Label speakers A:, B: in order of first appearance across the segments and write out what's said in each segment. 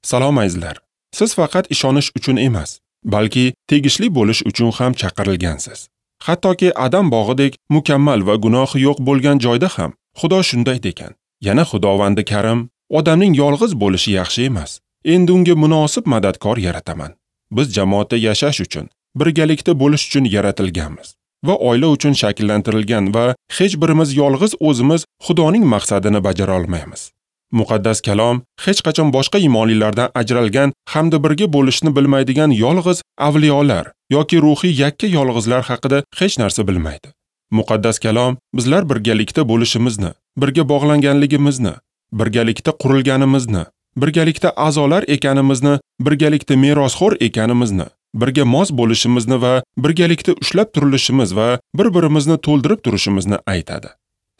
A: Salom azizlar. Siz faqat ishonish uchun emas, balki tegishli bo'lish uchun ham chaqirilgansiz. Hattoki Adam bog'idek mukammal va gunohi yo'q bo'lgan joyda ham Xudo shunday degan. Yana Xudovandi Karim, odamning yolg'iz bo'lishi yaxshi emas. Endi unga munosib madadkor yarataman. Biz jamoatda yashash uchun, birgalikda bo'lish uchun yaratilganmiz va oila uchun shakllantirilgan va hech birimiz yolg'iz o'zimiz Xudoning maqsadini bajara olmaymiz. Muqaddas kalom hech qachon boshqa iymonlilardan ajralgan hamda birga bo'lishni bilmaydigan yolg'iz avliyolar yoki ruhiy yakka yolg'izlar haqida hech narsa bilmaydi. Muqaddas kalom bizlar birgalikda bo'lishimizni, birga bog'langanligimizni, birgalikda qurilganimizni, birgalikda a'zolar ekanimizni, birgalikda merosxo'r ekanimizni, birga mos bo'lishimizni va birgalikda ushlab turilishimiz va bir-birimizni to'ldirib turishimizni aytadi.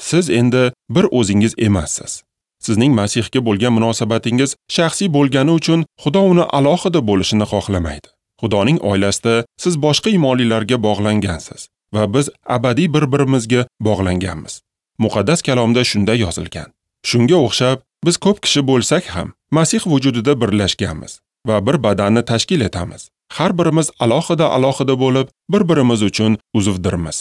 A: Siz endi bir o'zingiz emassiz. Sizning Masihga bo'lgan munosabatingiz shaxsiy bo'lgani uchun Xudo uni alohida bo'lishini xohlamaydi. Xudoning oilasida siz boshqa iymonlilarga bog'langansiz va biz abadiy bir-birimizga bog'langanmiz. Muqaddas kalomda shunday yozilgan. Shunga o'xshab, biz ko'p kishi bo'lsak ham Masih vujudida birlashganmiz va bir badanni tashkil etamiz. Har birimiz alohida-alohida bo'lib, bir-birimiz uchun uzvdirmiz.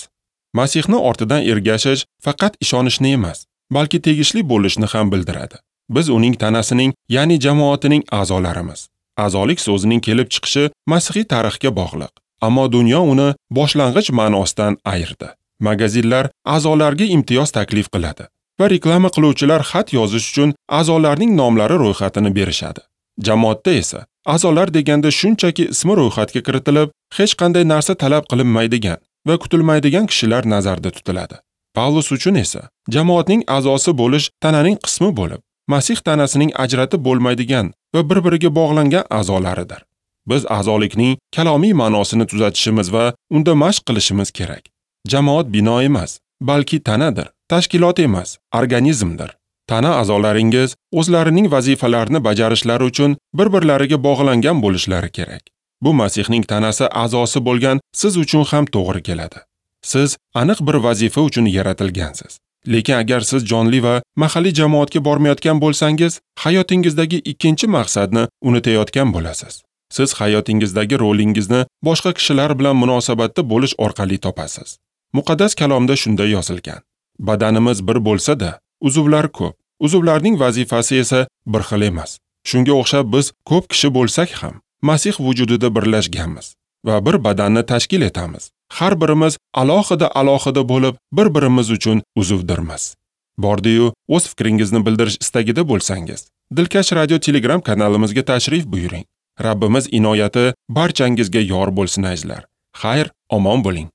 A: Masihni ortidan ergashish faqat ishonishni emas, balki tegishli bo'lishni ham bildiradi. Biz uning tanasining, ya'ni jamoatining a'zolarimiz. A'zolik so'zining kelib chiqishi masihiy tarixga bog'liq, ammo dunyo uni boshlang'ich ma'nosidan ayirdi. Magazinlar a'zolarga imtiyoz taklif qiladi va reklama qiluvchilar xat yozish uchun a'zolarning nomlari ro'yxatini berishadi. Jamoatda esa a'zolar deganda shunchaki ismi ro'yxatga kiritilib, hech qanday narsa talab qilinmaydigan va kutilmaydigan kishilar nazarda tutiladi. Pavlus uchun esa jamoatning a'zosi bo'lish tananing qismi bo'lib, Masih tanasining ajratib bo'lmaydigan va bir-biriga bog'langan a'zolaridir. Biz a'zolikning kalomiy ma'nosini tuzatishimiz va unda mashq qilishimiz kerak. Jamoat bino emas, balki tanadir, tashkilot emas, organizmdir. Tana a'zolaringiz o'zlarining vazifalarini bajarishlari uchun bir-birlariga bog'langan bo'lishlari kerak. Bu Masihning tanasi a'zosi bo'lgan siz uchun ham to'g'ri keladi. Siz aniq bir vazifa uchun yaratilgansiz. Lekin agar siz jonli va mahalliy jamoatga bormayotgan bo'lsangiz, hayotingizdagi ikkinchi maqsadni unutayotgan bo'lasiz. Siz hayotingizdagi rolingizni boshqa kishilar bilan munosabatda bo'lish orqali topasiz. Muqaddas kalomda shunday yozilgan: Badanimiz bir bo'lsa-da, uzvlar ko'p. Uzvlarning vazifasi esa bir xil emas. Shunga o'xshab biz ko'p kishi bo'lsak ham Masih vujudida birlashganmiz va bir badanni tashkil etamiz. Har birimiz alohida-alohida bo'lib, bir-birimiz uchun uzvdirmiz. Bordi-yu, o'z fikringizni bildirish istagida bo'lsangiz, Dilkash Radio Telegram kanalimizga tashrif buyuring. Rabbimiz inoyati barchangizga yor bo'lsin azizlar. Xayr, omon bo'ling.